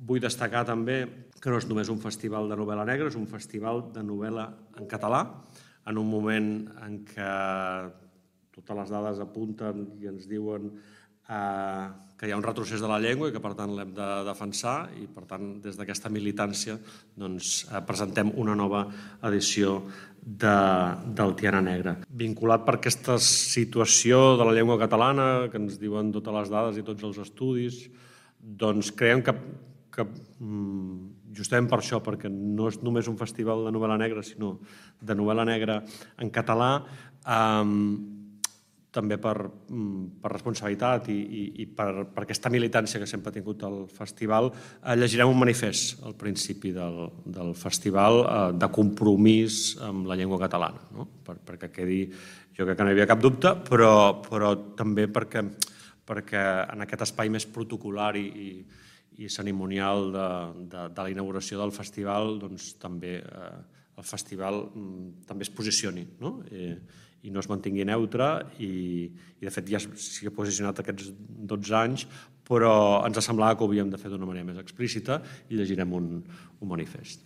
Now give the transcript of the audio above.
Vull destacar també que no és només un festival de novel·la negra, és un festival de novel·la en català, en un moment en què totes les dades apunten i ens diuen que hi ha un retrocés de la llengua i que per tant l'hem de defensar i per tant des d'aquesta militància presentem una nova edició del Tiana Negra. Vinculat per aquesta situació de la llengua catalana que ens diuen totes les dades i tots els estudis, doncs creiem que justament per això, perquè no és només un festival de novel·la negra, sinó de novel·la negra en català, també per responsabilitat i per aquesta militància que sempre ha tingut el festival, llegirem un manifest al principi del festival de compromís amb la llengua catalana, perquè quedi, jo crec que no hi havia cap dubte, però també perquè en aquest espai més protocolar i cerimonial de la inauguració del festival, doncs també el festival també es posicioni i no es mantingui neutre i de fet ja s'hi ha posicionat aquests 12 anys, però ens semblava que ho havíem de fer d'una manera més explícita i llegirem un manifest.